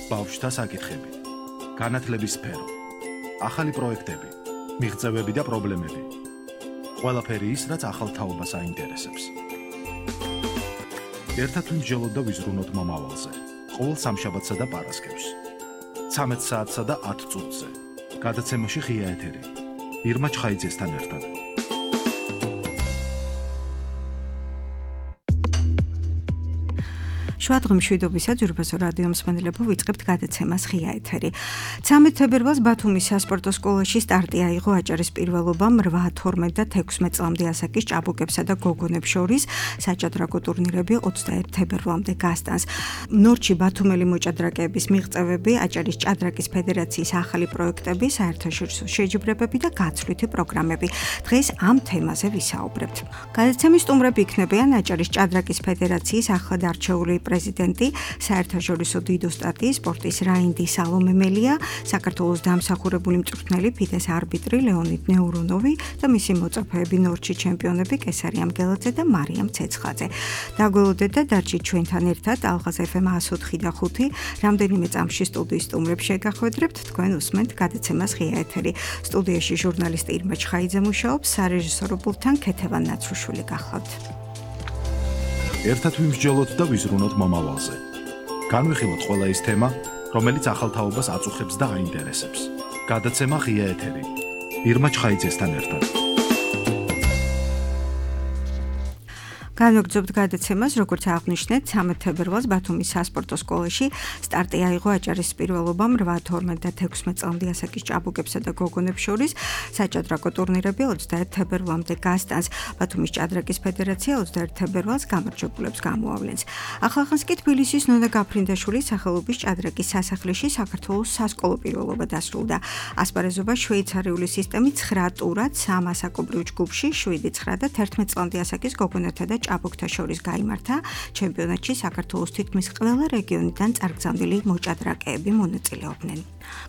ბავშვთა საკითხები, განათლების სფერო, ახალი პროექტები, მიღწევები და პრობლემები. ყველაფერი ის, რაც ახალ თაობას აინტერესებს. ერთად ვიმსჯელოთ და ვიზრუნოთ მომავალზე. ყოველ სამშაბათსა და პარასკევს. 13 საათსა და 10 წუთზე. გადაცემაში ღია ეთერი. ირმა ჩხაიძესთან ერთად. შვადღი მშვიდობისა ძვირფასო რადიო მსმენელებო ვიწყებთ გადაცემას ღია ეთერი. 13 თებერვალს ბათუმის სასპორტო სკოლაში სტარტი აიღო აჭარის პირველობამ 8, 12 და 16 წლამდე ასაკის ჭაბუკებსა და გოგონებს შორის საჭადრაკო ტურნირები 21 თებერვალამდე გასტანს. ნორჩი ბათუმელი მოჭადრაკეების მიღწევები, აჭარის ჭადრაკის ფედერაციის ახალი პროექტები, საერთაშორისო შეჯიბრებები და გაცვლითი პროგრამები. დღეს ამ თემაზე ვისაუბრებთ. გადაცემის სტუმრები იქნებიან აჭარის ჭადრაკის ფედერაციის ახლად არჩეული პრეზიდენტი, საერთაშორისო დიდო სტატიის სპორტის რაინდი სალომე მელია, საქართველოს დამსახურებული მწვრთნელი ფიდეს არბიტრი ლეონიდ ნეურონოვი და მისი მოწაფეები ნორჩი ჩემპიონები კესარი ამგელაძე და მარიამ ცეცხაძე. დაგველოდეთ და დარჩით ჩვენთან ერთად ალღაზ FM 104 და 5. რამდენიმე წამში სტუდიის სტუმრებს შეგახვედრებთ, თქვენ უსმენთ გადაცემას ღია ეთერი. სტუდიაში ჟურნალისტი ირმა ჩხაიძე მუშაობს, სარეჟისორო პულტთან ქეთევან ნაცრუშვილი გახლავთ. ერთად ვიმსჯელოთ და ვიზრუნოთ მომავალზე. განვიხილოთ ყველა ის თემა, რომელიც ახალ თაობას აწუხებს და აინტერესებს. გადაცემა ღია ეთერი. ირმა ჩხაიძესთან ერთად. განვაგრძობთ გადაცემას, როგორც აღნიშნეთ, 13 თებერვალს ბათუმის სასპორტო სკოლაში სტარტი აიღო აჭარის პირველობამ 8, 12 და 16 წლამდე ასაკის ჭაბუკებსა და გოგონებს შორის საჭადრაკო ტურნირები 21 თებერვალამდე გასტანს. ბათუმის ჭადრაკის ფედერაცია 21 თებერვალს გამარჯვებულებს გამოავლენს. ახლახანს კი თბილისის ნონა გაფრინდაშვილის სახელობის ჭადრაკის სასახლეში საქართველოს სასკოლო პირველობა დასრულდა. ასპარეზობა შვეიცარიული სისტემით 9 ტურად 3 ასაკობრივ ჯგუფში 7, 9 და 11 წლამდე ასაკის გოგონებთა და ჭაბუკთა შორის გაიმართა. ჩემპიონატში საქართველოს თითქმის ყველა რეგიონიდან წარგზავნილი მოჭადრაკეები მონაწილეობდნენ.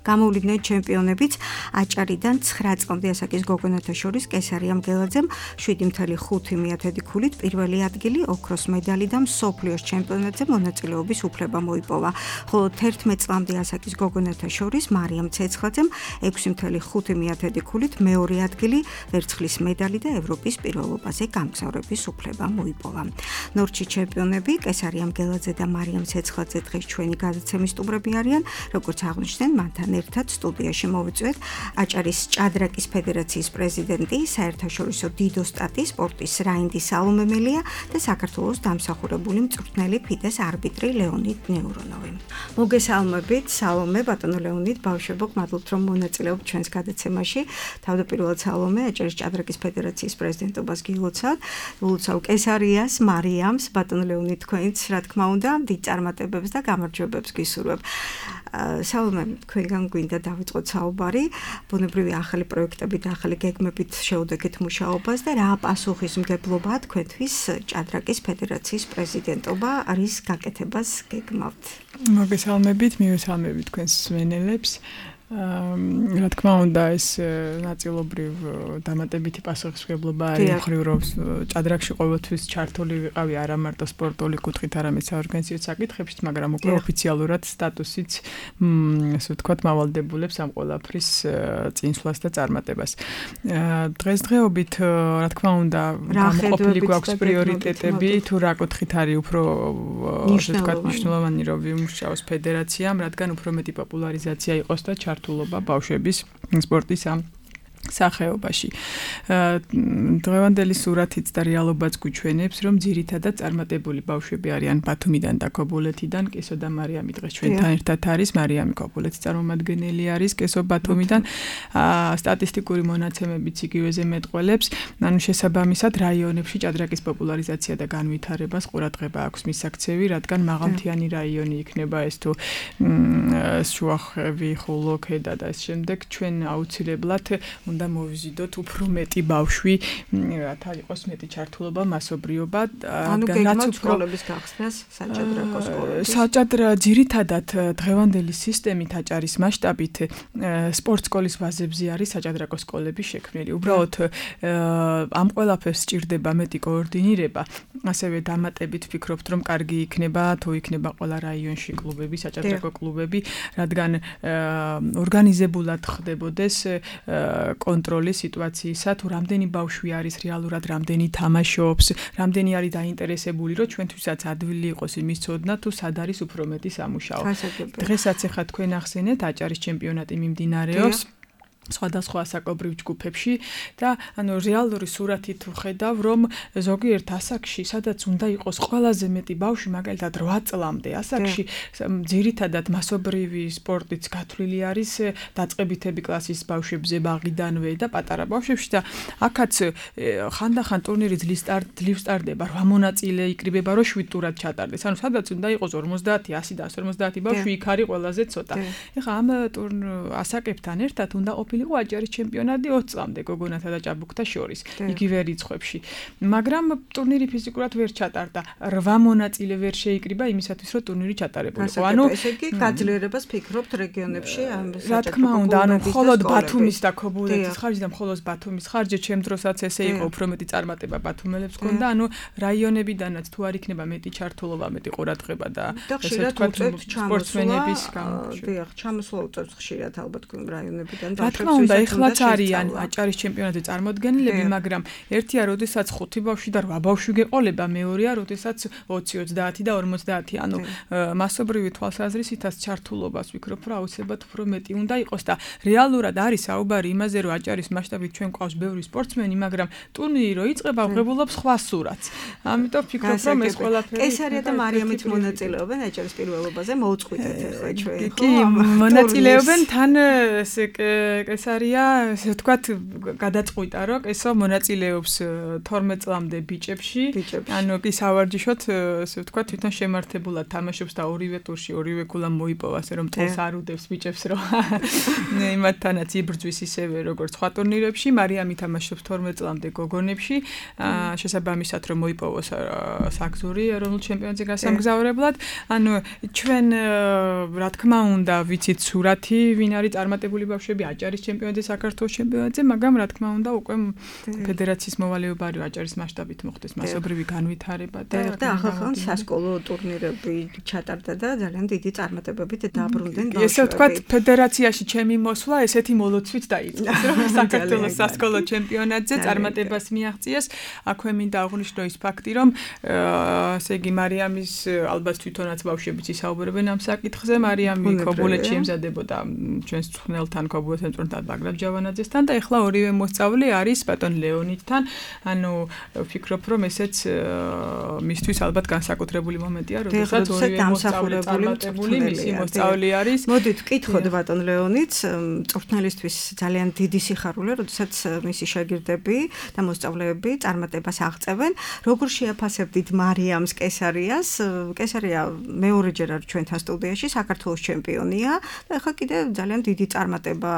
გამოვლიდნენ ჩემპიონებიც აჭარიდან 9 წლამდე ასაკის გოგონებთა შორის კესარი ამგელაძემ 7.5 ქულით პირველი ადგილი, ოქროს медаლი და მსოფლიოს ჩემპიონატზე მონაწილეობის უფლება მოიპოვა. ხოლო 11 წლამდე ასაკის გოგონებთა შორის მარიამ ცეცხაძემ 6.5 ქულით მეორე ადგილი, ვერცხლის медаლი და ევროპის პირველობაზე გამგზავრების უფლება მოიპოვა. ნორჩი ჩემპიონები კესარი ამგელაძე და მარიამ ცეცხაძე დღეს ჩვენი გადაცემის სტუმრები არიან, როგორც აღნიშნეთ, მანთან ერთად სტუდიაში მოვიწვევთ აჭარის ჭადრაკის ფედერაციის პრეზიდენტი, საერთაშორისო დიდო სტატიის სპორტის რაინდი სალომე მელია და საქართველოს დამსახურებული მწვრთნელი ფიდეს არბიტრი ლეონიდ ნეურონოვი. მოგესალმებით, სალომე, ბატონო ლეონიდ, ბავშვებო, გმადლობთ რომ მონაწილეობთ ჩვენს გადაცემაში. თავდაპირველად სალომე აჭარის ჭადრაკის ფედერაციის პრეზიდენტობას გილოცავთ. ულოცავ კესარიას, მარიამს, ბატონო ლეონიდ, თქვენც რა თქმა უნდა, დიდ წარმატებებს და გამარჯვებებს გისურვებ. სალომე, თქვენგან გვინდა დავიწყოთ საუბარი, ბუნებრივი ახალი პროექტები და ახალი გეგმებით შეუდექეთ მუშაობას და რა პასუხისმგებლობაა თქვენთვის ჭადრაკის ფედერაციის პრეზიდენტობა არის გაკეთებას გეგმავთ. მოგესალმებით, მივესალმებით თქვენს მსმენელებს. რა თქმა უნდა, ეს ნაწილობრივ დამატებითი პასუხისმგებლობა არის მხრივ, რომ ჭადრაკში ყოველთვის ჩართული ვიყავი არა მარტო სპორტული კუთხით, არამედ საორგანიზაციო საკითხებშიც, მაგრამ უკვე ოფიციალურად სტატუსიც, ასე ვთქვათ, მავალდებულებს ამ ყველაფრის წინსვლას და წარმატებას. დღესდღეობით, რა თქმა უნდა, გამოყოფილი გვაქვს პრიორიტეტები, თუ რა კუთხით არის უფრო, ასე ვთქვათ, მნიშვნელოვანი, რომ ვიმუშაოს ფედერაციამ, რადგან უფრო მეტი პოპულარიზაცია იყოს და ჩართულობა ბავშვების სპორტის ამ სახეობაში. დღევანდელი სურათიც და რეალობაც გვიჩვენებს, რომ ძირითადად წარმატებული ბავშვები არიან ბათუმიდან და ქობულეთიდან. კესო და მარიამი დღეს ჩვენთან ერთად არის. მარიამი ქობულეთის წარმომადგენელი არის, კესო ბათუმიდან. სტატისტიკური მონაცემებიც იგივეზე მეტყველებს. ანუ შესაბამისად რაიონებში ჭადრაკის პოპულარიზაცია და განვითარებას ყურადღება აქვს მისაქცევი, რადგან მაღალმთიანი რაიონი იქნება ეს თუ შუახევი, ხულო, ქედა და ეს შემდეგ ჩვენ აუცილებლად უნდა მოვიზიდოთ უფრო მეტი ბავშვი, რათა იყოს მეტი ჩართულობა, მასობრიობა, რადგანაც სკოლების გახსნას საჭადრაკო სკოლები. საჭადრა ძირითადად დღევანდელი სისტემით აჭარის მასშტაბით სპორტ სკოლის ბაზებზე არის საჭადრაკო სკოლები შექმნილი. უბრალოდ ამ ყველაფერს სჭირდება მეტი კოორდინირება, ასევე დამატებით ვფიქრობთ, რომ კარგი იქნება თუ იქნება ყველა რაიონში კლუბები, საჭადრაკო კლუბები, რადგან ორგანიზებულად ხდებოდეს კონტროლი სიტუაციისა, თუ რამდენი ბავშვი არის რეალურად, რამდენი თამაშობს, რამდენი არის დაინტერესებული, რომ ჩვენთვისაც ადვილი იყოს იმის ცოდნა, თუ სად არის უფრო მეტი სამუშაო. დღესაც ახლა თქვენ ახსენეთ, აჭარის ჩემპიონატი მიმდინარეობს სხვადასხვა საკობრივ ჯგუფებში და რეალური სურათი თუ ხედავ, რომ ზოგიერთ ასაკში, სადაც უნდა იყოს ყველაზე მეტი ბავშვი, მაგალითად 8 წლამდე ასაკში, ძირითადად მასობრივი სპორტიც გათვლილი არის დაწყებითები კლასის ბავშვებზე ბაღიდანვე და პატარა ბავშვებში და აქაც ხანდახან ტურნირი ძლივ სტარდება, 8 მონაწილე იკრიბება, რომ 7 ტურად ჩატარდეს. ანუ სადაც უნდა იყოს 50, 100 და 150 ბავშვი, იქ არის ყველაზე ცოტა. ეხლა ამ ასაკებთან ერთად უნდა იყო აჭარის ჩემპიონატი 20 წლამდე გოგონათა და ჭაბუკთა შორის, იგივე რიცხვებში. მაგრამ ტურნირი ფიზიკურად ვერ ჩატარდა. 8 მონაწილე ვერ შეიკრიბა იმისათვის, რომ ტურნირი ჩატარებულიყო. ესე იგი გაძლიერებას ფიქრობთ რეგიონებში ამ რა თქმა უნდა, მხოლოდ ბათუმის და ქობულეთის ხარჯი და მხოლოდ ბათუმის ხარჯი, ჩემ დროსაც ესე იყო, უფრო მეტი წარმატება ბათუმელებს ჰქონდა, რაიონებიდანაც თუ არ იქნება მეტი ჩართულობა, მეტი ყურადღება და ესე ვთქვათ, სპორტსმენების ჩამოსვლა უწევს ხშირად ალბათ რაიონებიდან და უნდა ეხლაც არიან აჭარის ჩემპიონატზე წარმოდგენილები, მაგრამ ერთია, როდესაც 5 ბავშვი და 8 ბავშვი გეყოლება, მეორეა, როდესაც 20, 30 და 50, ანუ მასობრივი თვალსაზრისითაც ჩართულობას ვფიქრობ, რომ აუცილებლად უფრო მეტი უნდა იყოს და რეალურად არის საუბარი იმაზე, რომ აჭარის მასშტაბით ჩვენ გვყავს ბევრი სპორტსმენი, მაგრამ ტურნირი რო იწყება, ღებულობს სხვა სურათს. ამიტომ ვფიქრობ, რომ ეს ყველაფერი კესარია და მარიამით მონაწილეობენ აჭარის პირველობაზე, მოუწყვიტეთ ახლა ჩვენ. კი, მონაწილეობენ თან კესარია, ესე ვთქვათ, გადაწყვიტა, რომ კესო მონაწილეობს 12 წლამდე ბიჭებში. ანუ კი სავარჯიშოდ, ესე ვთქვათ, თვითონ შემართებულად თამაშობს და ორივე ტურში ორივე ქულა მოიპოვა, ასე რომ წელს არ უდევს ბიჭებს, რომ იმათთანაც იბრძვის ისევე, როგორც სხვა ტურნირებში. მარიამი თამაშობს 12 წლამდე გოგონებში, შესაბამისად, რომ მოიპოვოს საგზური ეროვნულ ჩემპიონატზე გასამგზავრებლად. ანუ ჩვენ, რა თქმა უნდა, ვიცით სურათი, ვინ არის წარმატებული ბავშვები აჭარის ჩემპიონატზე, საქართველოს ჩემპიონატზე, მაგრამ რა თქმა უნდა, უკვე ფედერაციის მოვალეობა არის აჭარის მასშტაბით მოხდეს მასობრივი განვითარება და ახალ სასკოლო ტურნირები ჩატარდა და ძალიან დიდი წარმატებებით დაბრუნდნენ ბავშვები. ესე ვთქვათ, ფედერაციაში ჩემი მოსვლა ესეთი მოლოცვით დაიწყო, რომ საქართველოს სასკოლო ჩემპიონატზე წარმატებას მიაღწიეს. აქვე მინდა აღვნიშნო ის ფაქტი, რომ ესე იგი მარიამის ალბათ თვითონაც ბავშვებიც ისაუბრებენ ამ საკითხზე. მარიამი ქობულეთში ემზადებოდა ჩვენს ცხნელთან ქობულეთთან მწვრთნელთან ბაგრატ ჯავანაძესთან და ეხლა ორივე მოსწავლე არის ბატონ ლეონიდთან. ანუ ვფიქრობ, რომ ესეც მისთვის ალბათ განსაკუთრებული მომენტია, როდესაც ორივე მოსწავლე წარმატებული მისი მოსწავლე არის. მოდით ვკითხოთ ბატონ ლეონიდს, მწვრთნელისთვის ძალიან დიდი სიხარულე, როდესაც მისი შეგირდები და მოსწავლეები წარმატებას აღწევენ. როგორ შეაფასებდით მარიამს კესარიას? კესარია მეორეჯერ არის ჩვენთან სტუდიაში, საქართველოს ჩემპიონია და ეხლა კიდე ძალიან დიდი წარმატება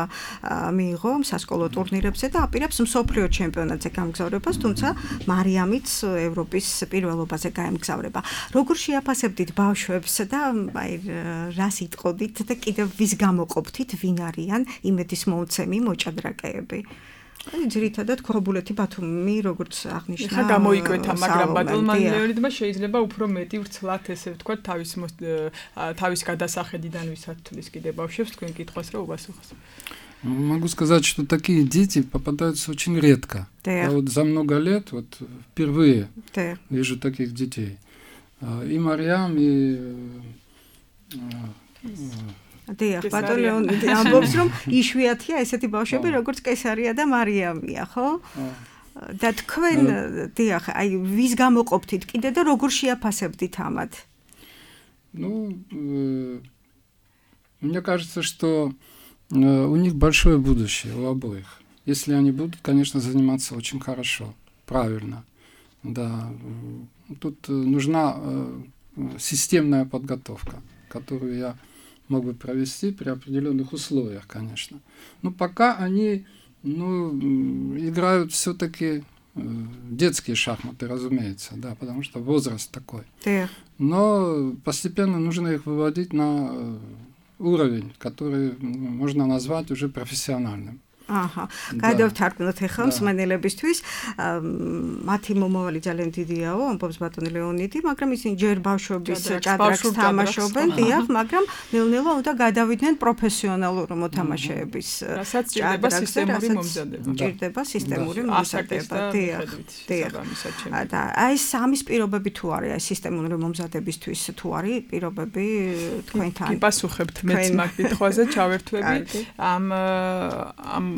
მიიღო სასკოლო ტურნირებზე და აპირებს მსოფლიო ჩემპიონატზე გამგზავრებას, თუმცა მარიამიც ევროპის პირველობაზე გაემგზავრება. როგორ შეაფასებდით ბავშვებს და აი რას იტყოდით და კიდევ ვის გამოყოფთით, ვინ არიან იმედის მომცემი მოჭადრაკეები? ძირითადად ქობულეთი ბათუმი, როგორც აღნიშნა. ხა გამოიკვეთა, მაგრამ ბატონმა ლეონიდმა შეიძლება უფრო მეტი ვრცლად, ესე ვთქვათ, თავის გადასახედიდან ვისათვლის კიდე бавშვებს თქვენ კითხვას რა უპასუხოს. Могу сказать, что такие дети попадаются очень редко. Я вот за много лет вот впервые вижу таких детей. И Мариам, и დიახ, ბატონ ლეონიდი ამბობს, რომ იშვიათია ესეთი ბავშვები, როგორც კესარია და მარიამია, ხო? და თქვენ, დიახ, აი ვის გამოყოფთით კიდე და როგორ შეაფასებდით ამათ? Ну, мне кажется, что у них большое будущее, у обоих. Если они будут, конечно, заниматься очень хорошо, правильно. Да, тут нужна системная подготовка, которую я мог бы провести при определенных условиях, конечно. Но пока они играют все-таки детские шахматы, разумеется, да, потому что возраст такой. Но постепенно нужно их выводить на уровень, который можно назвать уже профессиональным. გადავთარგმნოთ ახლა მსმენელებისთვის. მათი მომავალი ძალიან დიდიაო, ამბობს ბატონი ლეონიდი, მაგრამ ისინი ჯერ ბავშვობის ჭადრაკს თამაშობენ, დიახ, მაგრამ ნელ-ნელა უნდა გადავიდნენ პროფესიონალურ მოთამაშეების ჭადრაკზე, ჭირდება სისტემური მომზადება, დიახ. და აი სამის პირობები თუ არის, აი სისტემური მომზადებისთვის თუ არის პირობები თქვენთან? გიპასუხებთ მეც მაგ კითხვაზე, ჩავერთვები ამ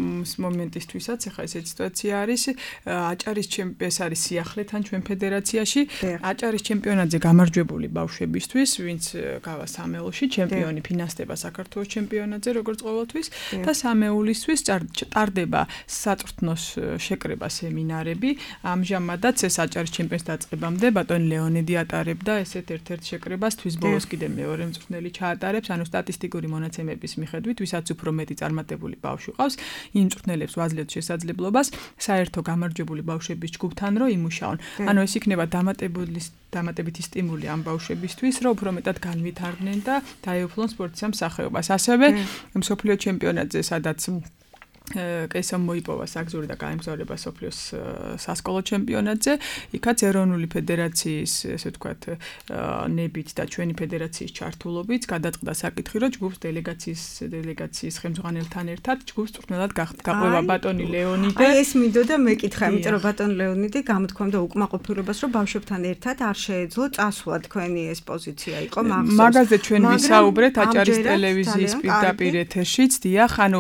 მომენტისთვისაც ახლა ეს სიტუაცია არის აჭარის ჩემპიონატი არის სიახლეთან ჩვენ ფედერაციაში აჭარის ჩემპიონატზე გამარჯვებული ბავშვებისთვის ვინც გავა სამეულში ჩემპიონი ფინანსდება საქართველოს ჩემპიონატზე როგორც ყოველთვის და სამეულისთვის ტარდება საწვრთნოს შეკრება სემინარები ამჟამადაც ეს აჭარის ჩემპიონატს დაწყებამდე ბატონი ლეონიდი ატარებდა ესეთ ერთ-ერთ შეკრებას თვის ბოლოს კიდე მეორე მწვრთნელი ჩაატარებს ანუ სტატისტიკური მონაცემების მიხედვით ვისაც უფრო მეტი წარმატებული ბავშვი ყავს იმ მწვრთნელებს ვაძლევთ შესაძლებლობას საერთო გამარჯვებული ბავშვების ჯგუფთან რომ იმუშაონ. ანუ ეს იქნება დამატებითი სტიმული ამ ბავშვებისთვის, რომ უფრო მეტად განვითარდნენ და დაეუფლონ სპორტის ამ სახეობას. ასევე მსოფლიო ჩემპიონატზე, სადაც კესამ მოიპოვა საგზური და გაემგზავრება სოფლიოს სასკოლო ჩემპიონატზე, იქაც ეროვნული ფედერაციის, ესე ვთქვათ, ნებით და ჩვენი ფედერაციის ჩართულობით გადაწყდა საკითხი, რომ ჯგუფს დელეგაციის ხელმძღვანელთან ერთად ჯგუფს მწვრთნელად გაყვება ბატონი ლეონიდი. აი ეს მინდოდა მეკითხა, იმიტომ რომ ბატონი ლეონიდი გამოთქვამდა უკმაყოფილებას, რომ ბავშვებთან ერთად არ შეეძლო წასვლა თქვენი ეს პოზიცია იყო მახსოვს. მაგაზე ჩვენ ვისაუბრეთ აჭარის ტელევიზიის პირდაპირ ეთერშიც, დიახ, ანუ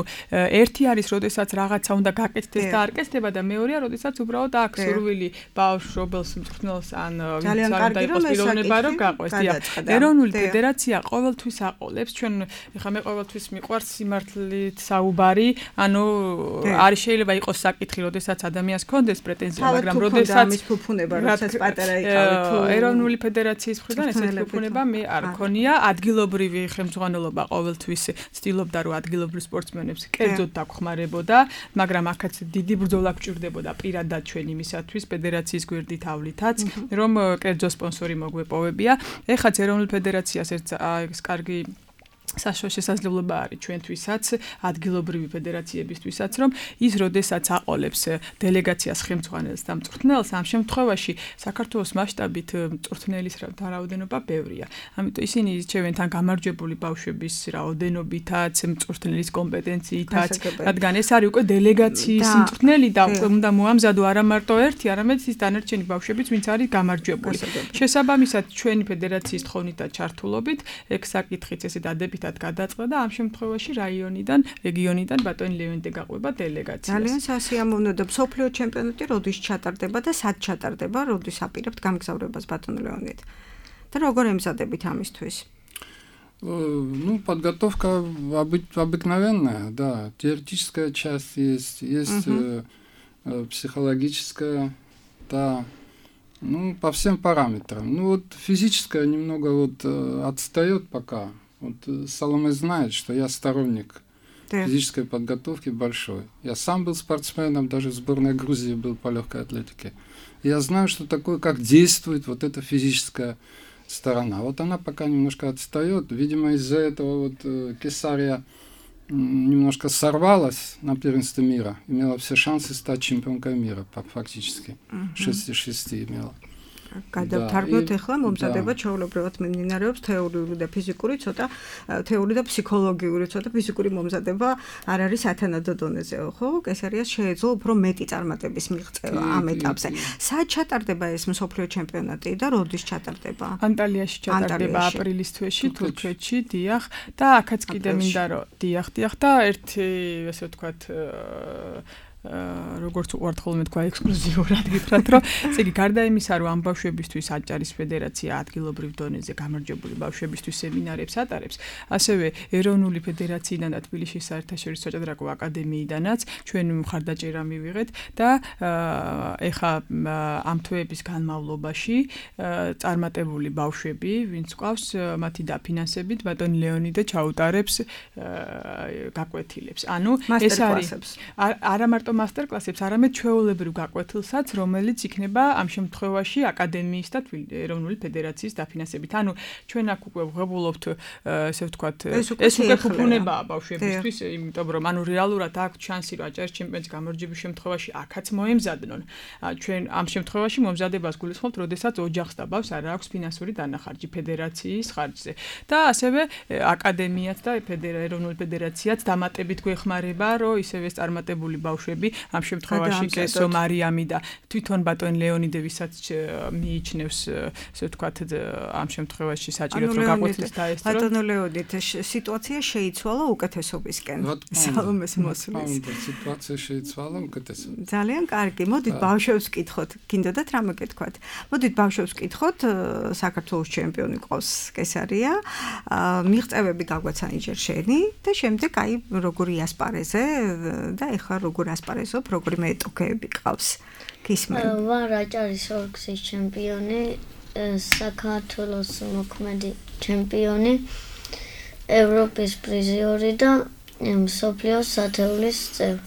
ერთი არის როდესაც რაღაცა უნდა გაკეთდეს და არ კეთდება და მეორეა როდესაც უბრალოდ აქ სურვილი ბავშვს მწვრთნელს ან ვინც არ დაიყოს პიროვნება რომ გაყვეს. ეროვნული ფედერაცია ყოველთვის აყოლებს ჩვენ ეხლა მე ყოველთვის მიყვარს სიმართლით საუბარი, ანუ არის შეიძლება იყოს საკითხი როდესაც ადამიანს ჰქონდეს პრეტენზია, მაგრამ როდესაც ამის ფუფუნება როდესაც პატარა იყავით თუ ეროვნული ფედერაციის მხრიდან ესეთი ფუფუნება მე არ ქონია, ადგილობრივი ხელმძღვანელობა ყოველთვის ცდილობდა რომ ადგილობრივ სპორტსმენებს კერძოდ დაგხმარებოდა, მაგრამ აქაც დიდი ბრძოლა გჭირდებოდა პირადად ჩვენ იმისათვის ფედერაციის გვერდით ავლითაც, რომ კერძო სპონსორი მოგვეპოვებია. ეხაც ეროვნულ ფედერაციას ეს კარგი შესაძლებლობა არის ჩვენთვისაც, ადგილობრივი ფედერაციებისთვისაც, რომ ის როდესაც აყოლებს დელეგაციას ხელმძღვანელს და მწვრთნელს, ამ შემთხვევაში საქართველოს მასშტაბით მწვრთნელის რაოდენობა ბევრია. ამიტომ ისინი ირჩევენ თან გამარჯვებული ბავშვების რაოდენობითაც, მწვრთნელის კომპეტენციითაც, რადგან ეს არის უკვე დელეგაციის მწვრთნელი და უნდა მოამზადო არა მარტო ერთი, არამედ ის დანარჩენი ბავშვებიც, ვინც არის გამარჯვებული. შესაბამისად, ჩვენი ფედერაციის თხოვნითა ჩართულობით, ეგ საკითხიც ესე დადებით გადაწყდა და ამ შემთხვევაში რეგიონიდან ბატონი ლეონიდი გაყვება დელეგაციას. ძალიან სასიამოვნო და მსოფლიო ჩემპიონატი როდის ჩატარდება და სად ჩატარდება, როდის აპირებთ გამგზავრებას ბატონ ლეონიდი? და როგორ ემზადებით амისთვის? Подготовка обыкновенная, да, теоретическая часть есть психологическая, да, по всем параметрам. Физическая немного отстает пока. Соломей знает, что я сторонник физической подготовки большой. Я сам был спортсменом, даже в сборной Грузии был по легкой атлетике. Я знаю, что такое, как действует эта физическая сторона. Она пока немножко отстает. Видимо, из-за этого Кесария немножко сорвалась на первенстве мира. Имела все шансы стать чемпионкой мира, фактически. 6-6 имела. გადავთარგმნოთ ახლა მომზადება ჩვეულებრივად მიმდინარეობს თეორიული და ფიზიკური, თეორიული და ფსიქოლოგიური, ფიზიკური მომზადება არ არის ათანადო დონეზეო, ხო? კესარიას შეეძლო უფრო მეტი წარმატების მიღწევა ამ ეტაპზე. სად ჩატარდება ეს მსოფლიო ჩემპიონატი და როდის ჩატარდება? ანტალიაში ჩატარდება აპრილის თვეში, თურქეთში, დიახ, და აქაც კიდე მინდა რომ დიახ და ერთი, ესე ვთქვათ, როგორც უყვართ ხოლმე თქვა ექსკლუზიურად გითხრათ, რომ ესე იგი გარდა იმისა, რომ ამ ბავშვებისთვის აჭარის ფედერაცია ადგილობრივ დონეზე გამარჯვებული ბავშვებისთვის სემინარებს ატარებს, ასევე ეროვნული ფედერაციიდან და თბილისის საერთაშორისო საჭადრაკო აკადემიიდანაც ჩვენ მხარდაჭერა მივიღეთ და ეხა ამ თვეების განმავლობაში წარმატებული ბავშვები, ვინც ყავს, მათი დაფინანსებით ბატონ ლეონიდე ჩაუტარებს გაკვეთილებს. ანუ ეს არის არა მარტო მასტერკლასებს, არამედ ჩვეულებრივ გაკვეთილსაც, რომელიც იქნება ამ შემთხვევაში აკადემიის და ეროვნული ფედერაციის დაფინანსებით. ანუ ჩვენ აქ უკვე ვღებულობთ, ესე ვთქვათ, ეს უკვე ფუფუნებაა ბავშვებისთვის, იმიტომ რომ ანუ რეალურად აქვს შანსი, რომ აჭარის ჩემპიონატის გამარჯვების შემთხვევაში აქაც მოემზადნონ. ჩვენ ამ შემთხვევაში მომზადებას გულისხმობთ, როდესაც ოჯახს და ბავშვს არ აქვს ფინანსური დანახარჯი ფედერაციის ხარჯზე. და ასევე აკადემიაც და ეროვნული ფედერაციაც დამატებით გვეხმარება, რომ ისევე წარმატებული ბავშვები ამ შემთხვევაში კესო მარიამი და თვითონ ბატონ ლეონიდე ვისაც მიიჩნევს, ესე ვთქვათ, ამ შემთხვევაში საჭიროდ რომ გაკვეთილს დაესწროს. ბატონ ლეონიდე, სიტუაცია შეიცვალა უკეთესობისკენ. სალომეს მოსვლის. სიტუაცია შეიცვალა უკეთესობისკენ. ძალიან კარგი. მოდით ბავშვებს ვკითხოთ. გინდოდათ რამე გეთქვათ? მოდით ბავშვებს ვკითხოთ, საქართველოს ჩემპიონი ყავს კესარია. მიღწევები გაგვაცანი ჯერ შენი და შემდეგ აი როგორი ასპარეზე და ეხლა როგორ ასპარეზობ, როგორი მეტოქეები ყავს. გისმენ. ვარ აჭარის ორგზის ჩემპიონი, საქართველოს მოქმედი ჩემპიონი, ევროპის პრიზიორი და მსოფლიოს სათეულის წევრი.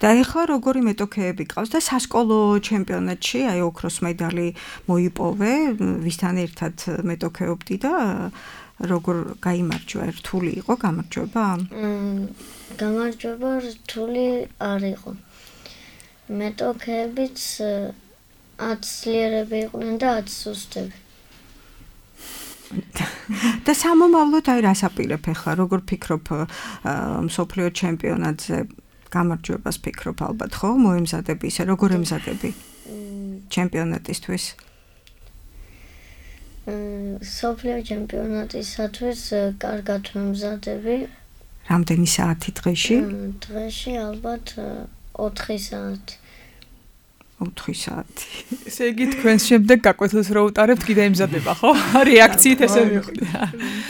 და ეხლა როგორი მეტოქეები ყავს და სასკოლო ჩემპიონატში აი ოქროს медаლი მოიპოვე, ვისთან ერთად მეტოქეობდი და როგორ გაიმარჯვა, რთული იყო გამარჯვება? გამარჯვება რთული არ იყო. მეტოქეებიც 10 ძლიერები იყვნენ და 10 სუსტები. და სამომავლოდ აი რას აპირებ ახლა, როგორ ფიქრობ მსოფლიო ჩემპიონატზე გამარჯვებას ფიქრობ ალბათ, ხო? მოემზადები ისე, როგორ ემზადები ჩემპიონატისთვის? მსოფლიო ჩემპიონატისათვის კარგად ვემზადები. რამდენი საათი დღეში? დღეში ალბათ 4 საათი. 4 საათი. ესე იგი თქვენს შემდეგ გაკვეთილს რო უტარებთ, კიდე ემზადება, ხო? რეაქციით ესე მიხვდი.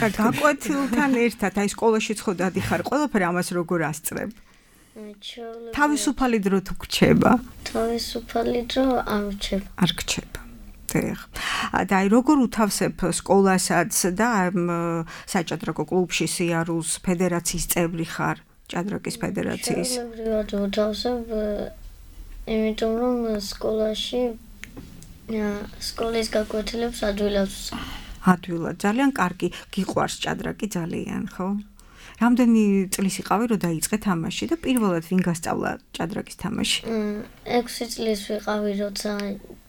და გაკვეთილთან ერთად აი სკოლაშიც ხო დადიხარ, ყველაფერი ამას როგორ ასწრებ? თავისუფალი დრო თუ გრჩება? თავისუფალი დრო არ რჩება. არ გრჩება. და აი როგორ უთავსებ სკოლასაც და საჭადრაკო კლუბში სიარულს, ფედერაციის წევრი ხარ, ჭადრაკის ფედერაციის? შეუძლებლად უთავსებ, იმიტომ რომ სკოლაში სკოლის გაკვეთილებს ადვილად ვსწავლ. ადვილად, ძალიან კარგი. გიყვარს ჭადრაკი ძალიან, ხო? რამდენი წლის იყავი, რომ დაიწყე თამაში და პირველად ვინ გასწავლა ჭადრაკის თამაში? 6 წლის ვიყავი, როცა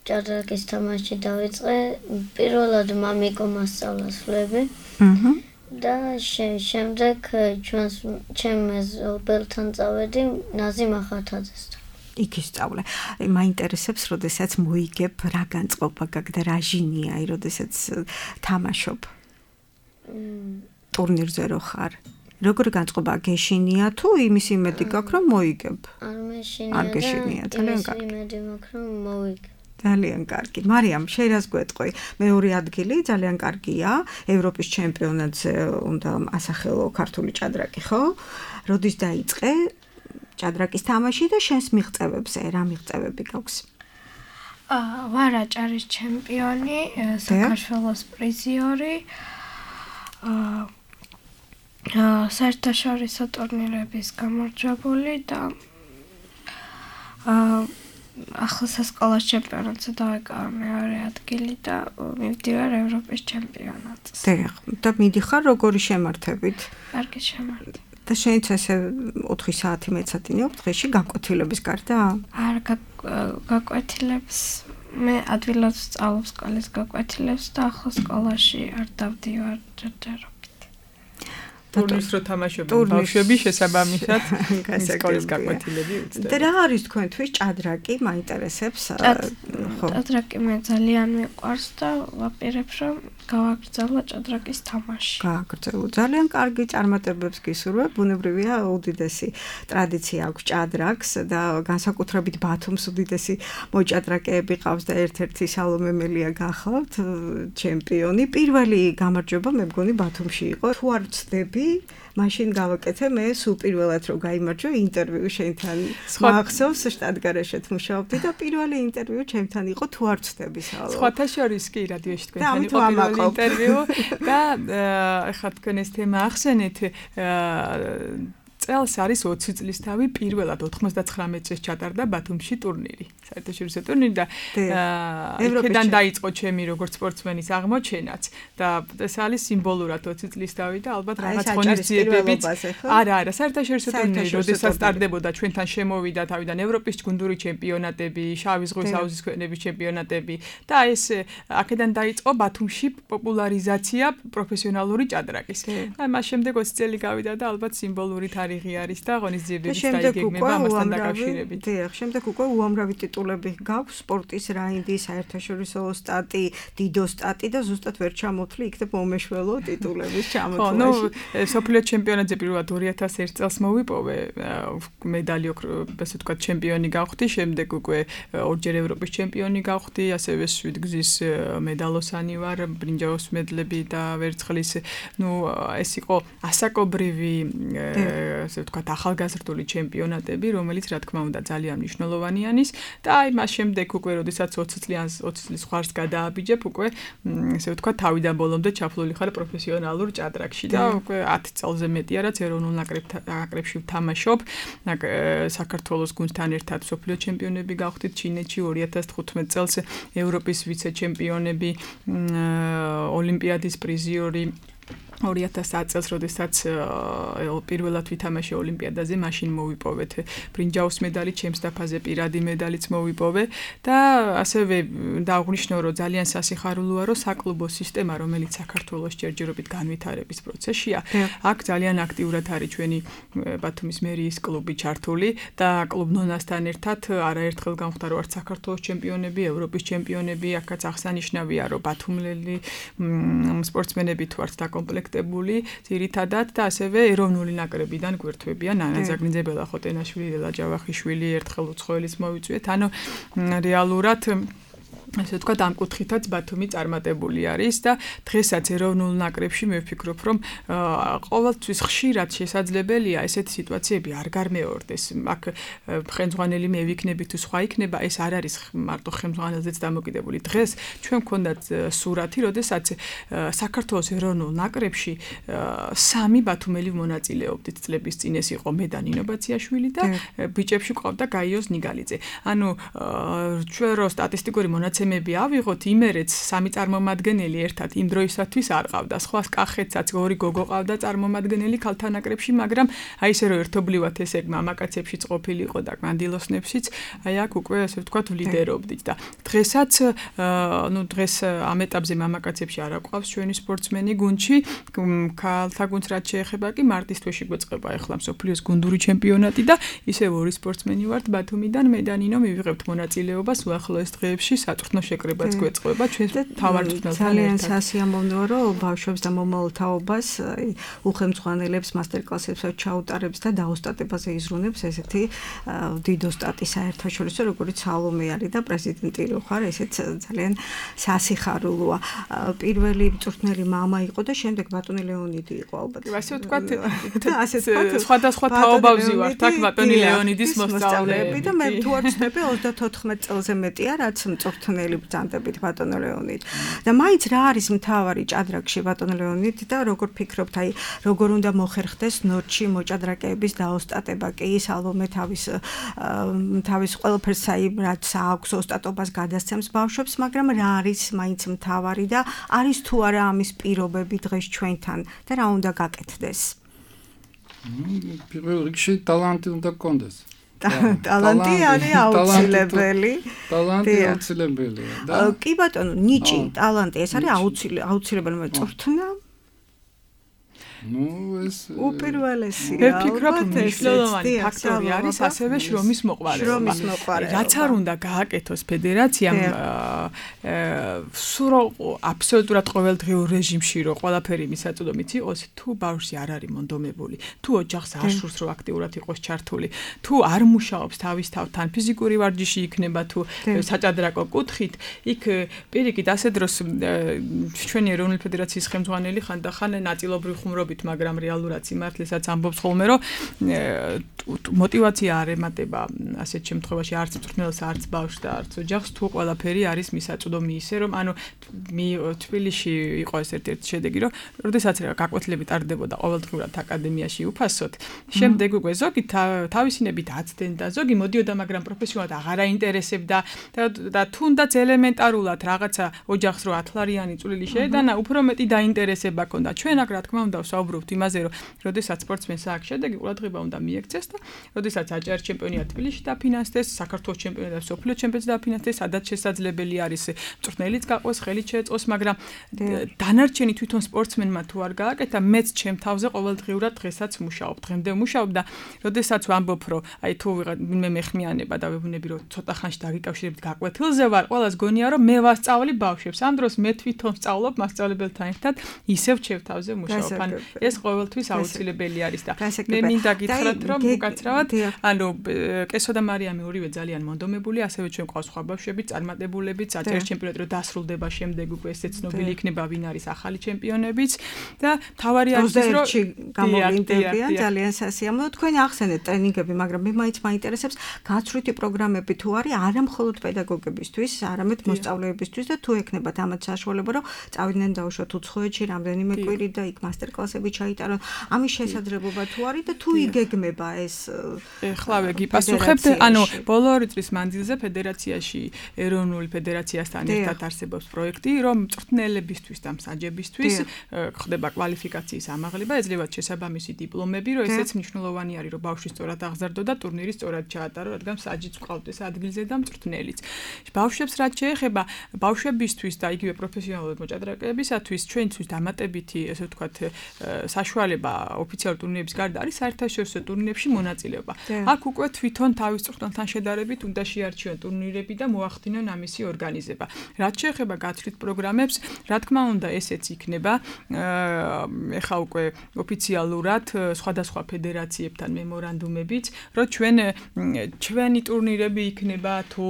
ჭადრაკის თამაში დავიწყე. პირველად მამიკო მასწავლა სვლები. და შემდეგ ჩემ მეზობელთან წავედი ნაზი მახათაძესთან. იქ ისწავლე. მაინტერესებს, როდესაც მოიგებ, რა განწყობა გაქვს და რა ჟინია, აი როდესაც თამაშობ. ტურნირზე რო ხარ. როგორი განწყობა გეშინია თუ იმის იმედი გაქვს რომ მოიგებ? არ გეშინია, ძალიან კარგი. იმედი მაქვს რომ მოვიგებ. ძალიან კარგი. მარიამ, შენ რას გვეტყვი? მეორე ადგილი ძალიან კარგია. ევროპის ჩემპიონატზე უნდა ასახელო ქართული ჭადრაკი, ხო? როდის დაიწყე ჭადრაკის თამაში და შენს მიღწევებზე, რა მიღწევები გაქვს? ვარ აჭარის ჩემპიონი, საქართველოს პრიზიორი. საერთაშორისო ტურნირების გამარჯვებული და ახლა სასკოლო ჩემპიონატზე დავეკავა მეორე ადგილი და მივდივარ ევროპის ჩემპიონატზე. და მიდიხარ როგორი შემართებით? კარგი შემართებით. და შენც ესე 4 საათი მეცადინე დღეში გაკვეთილების გარდა? არ გაკვეთილებს მე ადვილად ვსწავლობ სკოლის გაკვეთილებს და ახლა სკოლაში არ დავდივარ ჯერჯერობით. ტურნირს რო თამაშობენ ბავშვები შესაბამისად სკოლის გაკვეთილები უწევთ. და რა არის თქვენთვის ჭადრაკი? მაინტერესებს. ჭადრაკი მე ძალიან მიყვარს და ვაპირებ რომ გავაგრძელო ჭადრაკის თამაში. გააგრძელო. ძალიან კარგი წარმატებებს გისურვებ. ბუნებრივია უდიდესი ტრადიცია აქვს ჭადრაკს და განსაკუთრებით ბათუმს უდიდესი მოჭადრაკეები ყავს და ერთ-ერთი სალომე მელია გახავთ ჩემპიონი. პირველი გამარჯვება მე მგონი ბათუმში იყო. თუ არ ვცდები, მაშინ გავაკეთე მე სულ პირველად რომ გაიმარჯვე ინტერვიუ შენთან. მახსოვს შტატგარეშეთ მუშაობდი და პირველი ინტერვიუ ჩემთან იყო თუ არ ვცდები სალო. სხვათა შორის კი რადიოში თქვენთან იყო პირველი ინტერვიუ და ეხლა თქვენ ეს თემა ახსენეთ წელს არის 20 წლის თავი პირველად 99 წელს ჩატარდა ბათუმში ტურნირი. საერთაშორისო ტურნირი და იქიდან დაიწყო ჩემი როგორც სპორტსმენის აღმოჩენაც და ეს არის სიმბოლურად 20 წლის თავი და ალბათ რაღაც ღონისძიებებიც. არა, საერთაშორისო ტურნირი, როდესაც სტარდებოდა ჩვენთან შემოვიდა თავიდან ევროპის გუნდური ჩემპიონატები, შავი ზღვის აუზის ქვეყნების ჩემპიონატები და ეს აქედან დაიწყო ბათუმში პოპულარიზაცია პროფესიონალური ჭადრაკის. და მას შემდეგ 20 წელი გავიდა და ალბათ სიმბოლური თარიღი არის და ღონისძიებების დაიგეგმება ამასთან დაკავშირებით. დიახ, შემდეგ უკვე უამრავი ტიტულები გაქვს, სპორტის რაინდი, საერთაშორისო სტატი, დიდო სტატი და ზუსტად ვერ ჩამოთვლი იქნებ მომეშველო ტიტულების ჩამოთვლაში. სოფლიო ჩემპიონატზე პირველად 2001 წელს მოვიპოვე მედალი, ასე ვთქვათ, ჩემპიონი გავხდი, შემდეგ უკვე ორჯერ ევროპის ჩემპიონი გავხდი, ასევე 7 გზის მედალოსანი ვარ, ბრინჯაოს მედლები და ვერცხლის. ეს იყო ასაკობრივი ასე ვთქვათ, ახალგაზრდული ჩემპიონატები, რომელიც რა თქმა უნდა ძალიან მნიშვნელოვანი არის და აი მას შემდეგ უკვე როდესაც 20 წლის ხარს გადააბიჯებ, უკვე ასე ვთქვათ, თავიდან ბოლომდე ჩაფლული ხარ პროფესიონალურ ჭადრაკში და უკვე 10 წელზე მეტია რაც ეროვნულ ნაკრებში ვთამაშობ. საქართველოს გუნდთან ერთად სოფლიო ჩემპიონები გავხდით ჩინეთში 2015 წელს, ევროპის ვიცე-ჩემპიონები, ოლიმპიადის პრიზიორი 2010 წელს, როდესაც პირველად ვითამაშე ოლიმპიადაზე, მაშინ მოვიპოვეთ ბრინჯაოს მედალი, ჩემს დაფაზე პირადი მედალიც მოვიპოვე და ასევე დააღნიშნო, რომ ძალიან სასიხარულოა, რომ საკლუბო სისტემა, რომელიც საქართველოს ჯერჯერობით განვითარების პროცესშია, აქ ძალიან აქტიურად არის ჩვენი ბათუმის მერიის კლუბი ჩართული და კლუბ ნონასთან ერთად არაერთხელ გამხდა, რომ არც საქართველოს ჩემპიონები, ევროპის ჩემპიონები, აქაც აღსანიშნავია, რომ ბათუმელი სპორტსმენები თუ არც დაკომპლექტ ძირითადად და ასევე ეროვნული ნაკრებიდან გვერდთვებიან ანა ზაგნიძე, ბელა ხოტენაშვილი, ელა ჯავახიშვილი, ერთხელ უცხოელის მოვიწვიეთ. ანუ რეალურად ასე ვთქვათ, ამ კუთხითაც ბათუმი წარმატებული არის და დღესაც ეროვნულ ნაკრებში მე ვფიქრობ, რომ ყოველთვის ხშირად შესაძლებელია ესეთი სიტუაციები არ გამეორდეს. აქ ხელმძღვანელი მე ვიქნები თუ სხვა იქნება, ეს არ არის მარტო ხელმძღვანელზეც დამოკიდებული. დღეს ჩვენ გვქონდათ სურათი, როდესაც საქართველოს ეროვნულ ნაკრებში 3 ბათუმელი მონაწილეობდით წლების წინ. ეს იყო მე და ნინო ბაციაშვილი და ბიჭებში ყავდა გაიოს ნიგალიძე. ანუ ჩვენ რო სტატისტიკური მონაცემები ავიღოთ, იმერეც 3 წარმომადგენელი ერთად იმ დროისათვის არ ყავდა. სხვა კახეთსაც 2 გოგო ყავდა წარმომადგენელი ქალთა ნაკრებში, მაგრამ აი ესე რომ ერთობლივად ესე მამაკაცებშიც ყოფილი იყო და მანდილოსნებშიც, აი აქ უკვე ასე ვთქვათ ლიდერობდით და დღესაც დღეს ამ ეტაპზე მამაკაცებში არ აყვავს ჩვენი სპორტსმენი გუნდში. ქალთა გუნდს რაც შეეხება კი მარტის თვეში გვეწყება ახლა მსოფლიოს გუნდური ჩემპიონატი და ისევ 2 სპორტსმენი ვართ ბათუმიდან, მე და ნინო მივიღებთ მონაწილეობას უახლოეს დღეებში საწვრთნო შეკრებაც გვეწყება ჩვენს თავარ მწვრთნელთან. ძალიან სასიამოვნოა, რომ ბავშვებს და მომავალ თაობას უხელმძღვანელებს მასტერკლასებს ჩაუტარებს და დაოსტატებაზე იზრუნებს ესეთი დიდო სტატის საერთაშორისო, როგორც სალომე არის და პრეზიდენტი რო ხარ, ესეც ძალიან სასიხარულოა. პირველი მწვრთნელი მამა იყო და შემდეგ ბატონი ლეონიდი იყო ალბათ. ასე ვთქვათ, სხვადასხვა თაობავზი ვართ აქ ბატონი ლეონიდის მოსწავლეები და მე თუ არ ვცდები 34 წელზე მეტია რაც მწვრთნელი ბრძანდებით ბატონო ლეონიდ. და მაინც რა არის მთავარი ჭადრაკში ბატონო ლეონიდ და როგორ ფიქრობთ, აი როგორ უნდა მოხერხდეს ნორჩი მოჭადრაკეების დაოსტატება? კი სალომე თავის ყველაფერს აი რაც აქვს ოსტატობას გადასცემს ბავშვებს, მაგრამ რა არის მაინც მთავარი და არის თუ არა ამის პირობები დღეს ჩვენთან და რა უნდა გაკეთდეს? პირველ რიგში ტალანტი უნდა გქონდეს. ტალანტი არის აუცილებელი. ტალანტი აუცილებელია და კი ბატონო, ნიჭი, ტალანტი ეს არის აუცილებელი, მაგრამ წვრთნა უპირველესია. მე ვფიქრობ, მნიშვნელოვანი ფაქტორი არის ასევე შრომის მოყვარეობა. რაც არ უნდა გააკეთოს ფედერაციამ, სულ აბსოლუტურად ყოველდღიურ რეჟიმში რო ყველაფერი მისაწვდომით იყოს, თუ ბავშვი არ არის მონდომებული, თუ ოჯახს არ სურს რომ აქტიურად იყოს ჩართული, თუ არ მუშაობს თავის თავთან, ფიზიკური ვარჯიში იქნება თუ საჭადრაკო კუთხით, იქ პირიქით ასე დროს ჩვენი ეროვნული ფედერაციის ხელმძღვანელი ხანდახან ნაწილობრივ ხუმრობით, მაგრამ რეალურად სიმართლესაც ამბობს ხოლმე, რომ მოტივაცია არ ემატება ასეთ შემთხვევაში არც მწვრთნელს, არც ბავშვს და არც ოჯახს, თუ ყველაფერი არის მისაწვდომი ისე, რომ ანუ თბილისში იყო ეს ერთ-ერთი შედეგი, რომ როდესაც გაკვეთილები ტარდებოდა ყოველდღურად აკადემიაში უფასოდ, შემდეგ უკვე ზოგი თავისინებით აცდნენ და ზოგი მოდიოდა, მაგრამ პროფესიონალად აღარ აინტერესებდა და თუნდაც ელემენტარულად რაღაცა ოჯახს რო 10 ლარიანი წვლილი შეედანა, უფრო მეტი დაინტერესება ჰქონდა. ჩვენ აქ რა თქმა უნდა ვსაუბრობთ იმაზე, რომ როდესაც სპორტსმენს აქვს შედეგი, ყურადღება უნდა მიექცეს და როდესაც აჭარის ჩემპიონატ თბილისში დაფინანსდეს, საქართველოს ჩემპიონატი და სოფლიო ჩემპიონატი დაფინანსდეს, სადაც შესაძლებელი არის მწვრთნელიც გაყვეს, ხელით შეეწყოს, მაგრამ დანარჩენი თვითონ სპორტსმენმა თუ არ გააკეთა, მეც ჩემ თავზე ყოველდღიურად დღესაც მუშაობ, დღემდე მუშაობ და როდესაც ვამბობ, რომ აი თუ ვინმე მეხმიანება და ვებუნები, რომ ცოტა ხანში დაგიკავშირებით გაკვეთილზე ვარ, ყველას გონია, რომ მე ვასწავლი ბავშვებს. ამ დროს მე თვითონ ვსწავლობ მასწავლებელთან ერთად, ისევ ჩემ თავზე მუშაობ. ანუ ეს ყოველთვის აუცილებელი არის და მე მინდა გითხრათ, რომ უკაცრავად, ანუ კესო და მარიამი ორივე ძალიან მონდომებული, ასევე ჩვენ ყავს სხვა ბავშვები, წარმატებულებიც, აჭარის ჩემპიონატი რო დასრულდება შემდეგ უკვე ესე ცნობილი იქნება ვინ არის ახალი ჩემპიონებიც და თავარი არის ის რომ გამოვლინდებიან ძალიან სასიამოვნო. თქვენ ახსენეთ ტრენინგები, მაგრამ მე მაინც მაინტერესებს გაცვლითი პროგრამები თუ არის არა მხოლოდ პედაგოგებისთვის, არამედ მოსწავლეებისთვის და თუ ექნებათ ამათ საშუალება, რომ წავიდნენ დაუშვათ უცხოეთში რამდენიმე კვირი და იქ მასტერკლასები ჩაიტარონ. ამის შესაძლებლობა თუ არის და თუ იგეგმება ეს ეხლავე გიპასუხებთ, ანუ ბოლო 2 წლის მანძილზე ფედერაციაში, ეროვნული ფედერაციასთან ერთად არსებობს პროექტი, რომ მწვრთნელებისთვის და მსაჯებისთვის ხდება კვალიფიკაციის ამაღლება, ეძლევათ შესაბამისი დიპლომები, რომ ესეც მნიშვნელოვანი არის, რომ ბავშვი სწორად აღზარდო და ტურნირი სწორად ჩაატარო, რადგან მსაჯიც ყავდეს ადგილზე და მწვრთნელიც. ბავშვებს რაც შეეხება, ბავშვებისთვის და იგივე პროფესიონალურ მოჭადრაკეებისათვის ჩვენთვის დამატებითი, ესე ვთქვათ, საშუალება ოფიციალურ ტურნირების გარდა არის საერთაშორისო ტურნირებში მონაწილეობა. აქ უკვე თვითონ თავის მწვრთნელთან შედარებით უნდა შეარჩიონ ტურნირები და მოახდინონ ამისი ორგანიზება. რაც შეეხება გაცვლით პროგრამებს, რა თქმა უნდა, ესეც იქნება ეხა უკვე ოფიციალურად სხვადასხვა ფედერაციებთან მემორანდუმებით, რომ ჩვენი ტურნირები იქნება თუ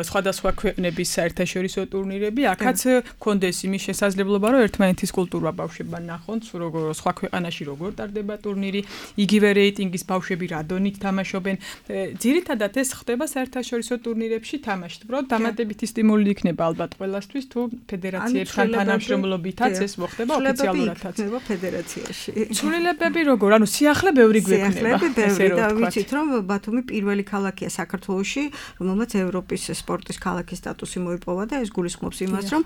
სხვადასხვა ქვეყნების საერთაშორისო ტურნირები, აქაც კონდეს იმის შესაძლებლობა, რომ ერთმანეთის კულტურა ბავშვებმა ნახონ, სხვა ქვეყანაში როგორ ტარდება ტურნირი, იგივე რეიტინგის ბავშვები რა დონით თამაშობენ. ძირითადად ეს ხდება საერთაშორისო ტურნირებში თამაში. უბრალოდ დამატებითი სტიმული იქნება ალბათ ყველასთვის, თუ ფედერაციებთან თანამშრომლობითაც ეს მოხდება ოფიციალურადაც. ხდება ფედერაციაში. ცვლილებები როგორ? ანუ სიახლე ბევრი გვექნება. და ვიცით, რომ ბათუმი პირველი ქალაქია საქართველოში, რომელმაც ევროპის სპორტის ქალაქის სტატუსი მოიპოვა და ეს გულისხმობს იმას, რომ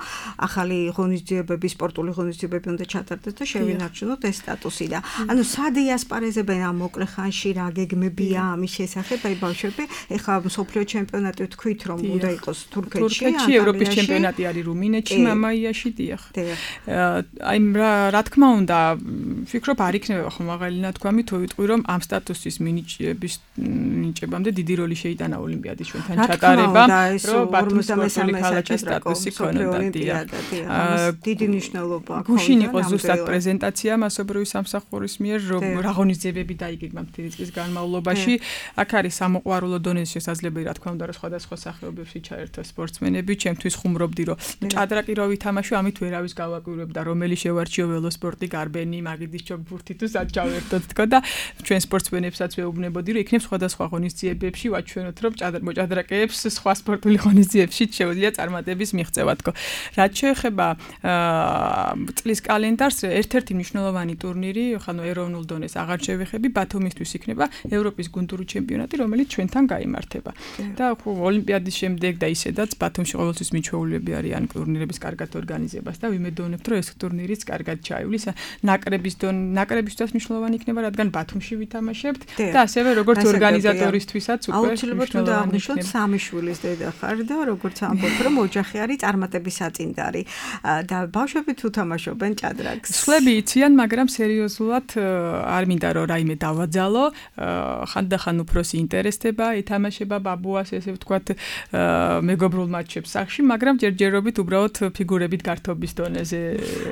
ახალი ღონისძიებები, სპორტული ღონისძიებები უნდა ჩატარდეს და შევინარჩუნოთ ეს სტატუსი და ანუ სად იასპარეზებენ ამ მოკლე ხანში რა გეგმებია ამის შესახებ, აი ბავშვები, ეხლა სოფლიო ჩემპიონატი ვთქვით, რომ უნდა იყოს თურქეთში, ევროპის ჩემპიონატი არის რუმინეთში, მამაიაში, დიახ. აი რა თქმა უნდა, ვფიქრობ არ იქნება ხომ მაღალი ნათქვამი, თუ ვიტყვი, რომ ამ სტატუსის მინიჭებამდე დიდი როლი შეიტანა ოლიმპიადის ჩვენთან ჩატარებამ, რომ ბათუმის სპორტული ქალაქის სტატუსი ქონოდა, დიახ. დიდი მნიშვნელობა აქვს. გუშინ იყო ზუსტად პრეზენტაცია მასობრივი სამსახურის მიერ, რომ რა ღონისძიებები დაიგეგმა მთელი წლის განმავლობაში. აქ არის სამოყვარულო დონეზე შესაძლებელი, რა თქმა უნდა, რომ სხვადასხვა სახეობებში ჩაერთო სპორტსმენები. ჩემთვის ხუმრობდი, რომ ჭადრაკი რო ვითამაშო, ამით ვერავის გავაკვირვებდა, რომელი შევარჩიო ველოსპორტი, გარბენი, მაგიდის ჩოგბურთი თუ სად ჩავერთოთ თქო და ჩვენ სპორტსმენებსაც ვეუბნებოდი, რომ იქნებ სხვადასხვა ღონისძიებებში ვაჩვენოთ, რომ მოჭადრაკეებს სხვა სპორტული ღონისძიებებში შეუძლია წარმატების მიღწევა თქო. რაც შეეხება წლის კალენდარს, ერთ-ერთი მნიშვნელოვანი ტურნირი, ხანო ეროვნულ დონეს აღარ შევეხები, ბათუმისთვის იქნება ევროპის გუნდური ჩემპიონატი, რომელიც ჩვენთან გაიმართება. და ოლიმპიადის შემდეგ და ისედაც ბათუმში ყოველთვის მიჩვეულებები არიან ტურნირების კარგად ორგანიზებას და ვიმედოვნებთ, რომ ეს ტურნირიც კარგად ჩაივლის. ნაკრებისთვის მნიშვნელოვანი იქნება, რადგან ბათუმში ვითამაშებთ და ასევე როგორც ორგანიზატორისთვისაც უკვე აუცილებლად უნდა აღნიშნოთ სამი შვილის დედა ხარ და როგორც ამბობ, რომ ოჯახი არის წარმატების საწინდარი და ბავშვები თუ თამაშობენ ჭადრაკს. სხვები იციან, მაგრამ სერიოზულად არ მინდა რომ რაიმე დავაძალო, ხანდახან უფროსი ინტერესდება, ეთამაშება ბაბუას, ესე ვთქვათ, მეგობრულ მატჩებს სახში, მაგრამ ჯერჯერობით უბრალოდ ფიგურებით გართობის დონეზე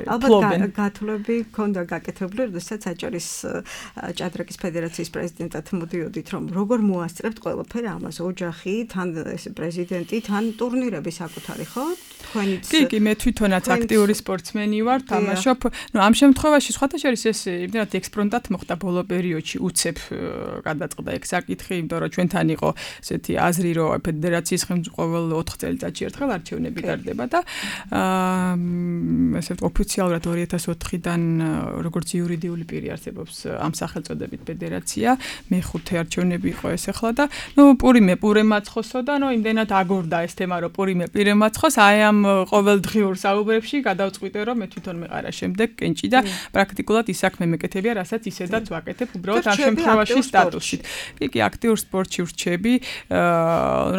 ფლობენ. ალბათ გათვლები ქონდა გაკეთებული, როდესაც აჭარის ჭადრაკის ფედერაციის პრეზიდენტად მოდიოდით, რომ როგორ მოასწრებთ ყველაფერი ამას, ოჯახი, თან პრეზიდენტი, თან ტურნირები საკუთარი, ხო? თქვენიც კი, მე თვითონაც აქტიური სპორტსმენი ვარ, თამაშობ. ამ შემთხვევაში სხვათა შორის ეს იმდენად ექსპრონტად მოხდა ბოლო პერიოდში, უცებ გადაწყდა ეგ საკითხი, იმიტომ რომ ჩვენთან იყო ესეთი აზრი, რომ ფედერაციის ხელმძღვანელ 4 წელიწადში ერთხელ არჩევნები ტარდება და ესე ოფიციალურად 2004-დან როგორც იურიდიული პირი არსებობს ამ სახელწოდებით ფედერაცია, მე-5 არჩევნები იყო ეს ახლა და პურე მაცხოსო და იმდენად აგორდა ეს თემა, რომ პირე მაცხოს, აი ამ ყოველდღიურ საუბრებში გადავწყვიტე, რომ მე თვითონ მეყარა შემდეგ კენჭი და პრაქტიკულად ის საქმე მეკეთებია, რასაც ისედაც ვაკეთებ, უბრალოდ ამ შემთხვევაში სტატუსით. კი, აქტიურ სპორტში ვრჩები,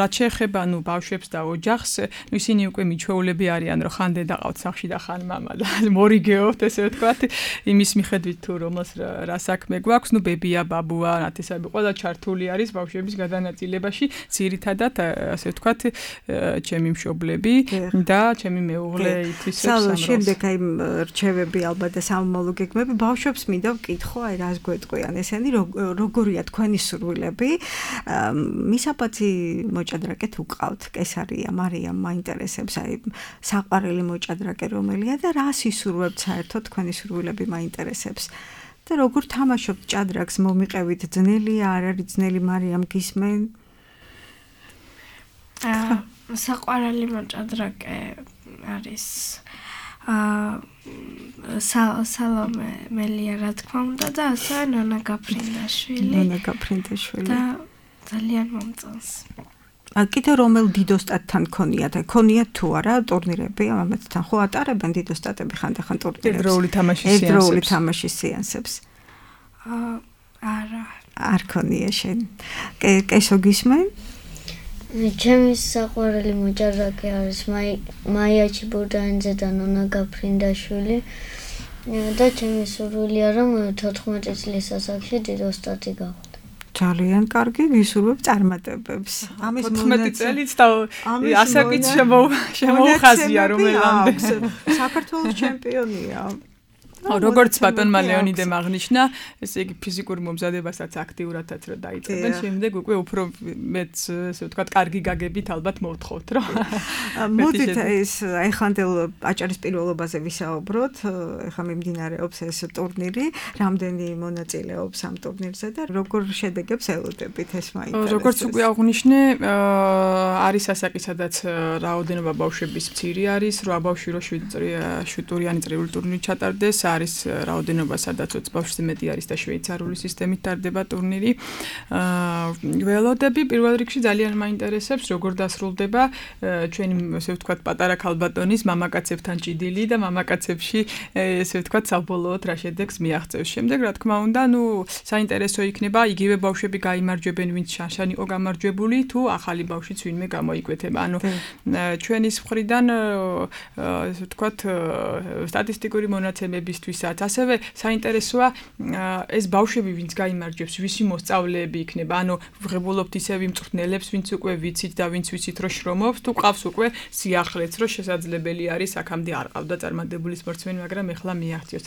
რაც შეეხება ბავშვებს და ოჯახს, ისინი უკვე მიჩვეულები არიან, რომ ხან დედა ყავთ სახლში და ხან მამა და მორიგეობთ, ესე ვთქვათ, იმის მიხედვით თუ რომელს რა საქმე გვაქვს, ბებია, ბაბუა, ნათესავები, ყველა ჩართული არის ბავშვების გადანაწილებაში, ძირითადად, ასე ვთქვათ, ჩემი მშობლები და ჩემი მეუღლე ითვისებს სამროს. შემდეგ აი რჩევები ალბათ და სამომავლო გეგმები ბავშვებს მინდა ვკითხო, აი რას გვეტყვიან ესენი, როგორია თქვენი სურვილები? მისაბაძი მოჭადრაკეთ უყავთ, კესარია, მარიამ მაინტერესებს, აი საყვარელი მოჭადრაკე რომელია და რას ისურვებთ საერთოდ თქვენი სურვილები მაინტერესებს? და როგორ თამაშობთ ჭადრაკს, მომიყევით, ძნელია, არ არის ძნელი, მარიამ გისმენ? საყვარელი მოჭადრაკე არის სალომე მელია, რა თქმა უნდა და ასევე ნონა გაფრინდაშვილი და ძალიან მომწონს. კიდე რომელ დიდოსტატთან ქონიათ? ქონიათ თუ არა ტურნირები ამათთან? ხო ატარებენ დიდოსტატები ხანდახან ტურნირებს? ერთდროული თამაშის სეანსებს. არა. არ ქონია შენ. კესო გისმენ? ჩემი საყვარელი მოჭადრაკე არის მაია ჩიბურდანიძე და ნონა გაფრინდაშვილი და ჩემი სურვილია რომ 14 წლის ასაკში დიდოსტატი გავხდე. ძალიან კარგი, ვისურვებ წარმატებებს. ამის 14 წელიც და ასაკიც შემოუხაზია რომელამდე. საქართველოს ჩემპიონია. როგორც ბატონმა ლეონიდემ აღნიშნა, ესე იგი ფიზიკურ მომზადებასაც აქტიურადაც რა დაიწყებენ, შემდეგ უკვე უფრო მეც ესე ვთქვათ, კარგი გაგებით ალბათ მოვთხოვთ, რომ მოდით ეს ეხანდელ აჭარის პირველობაზე ვისაუბროთ, ეხლა მიმდინარეობს ეს ტურნირი, რამდენი მონაწილეობს ამ ტურნირზე და როგორ შედეგებს ელოდებით, ეს მაინტერესებს. როგორც უკვე აღნიშნე, არის ასაკი, სადაც რაოდენობა ბავშვების მცირე არის, 8 ბავშვი რო 7 ტურიანი წრიული ტურნირი ჩატარდეს, არის რაოდენობა, სადაც 20 ბავშვზე მეტი არის და შვეიცარიული სისტემით ტარდება ტურნირი. ველოდები პირველ რიგში ძალიან მაინტერესებს, როგორ დასრულდება ჩვენი, ესე ვთქვათ, პატარა ქალბატონის მამაკაცებთან ჭიდილი და მამაკაცებში, ესე ვთქვათ, საბოლოოდ რა შედეგს მიაღწევს. შემდეგ, რა თქმა უნდა, საინტერესო იქნება იგივე ბავშვები გაიმარჯვებენ, ვინც შანშან იყო გამარჯვებული, თუ ახალი ბავშვიც ვინმე გამოიკვეთება. ჩვენი მხრიდან, ესე ვთქვათ, სტატისტიკური მონაცემების ასევე საინტერესოა ეს ბავშვები, ვინც გაიმარჯვებს, ვისი მოსწავლეები იქნება. ვღებულობთ ისევ იმ მწვრთნელებს, ვინც უკვე ვიცით და ვინც ვიცით, რომ შრომობს, თუ ყავს უკვე სიახლეც, რომ შესაძლებელი არის აქამდე არ ყავდა წარმატებული სპორტსმენი, მაგრამ ეხლა მიაღწიოს.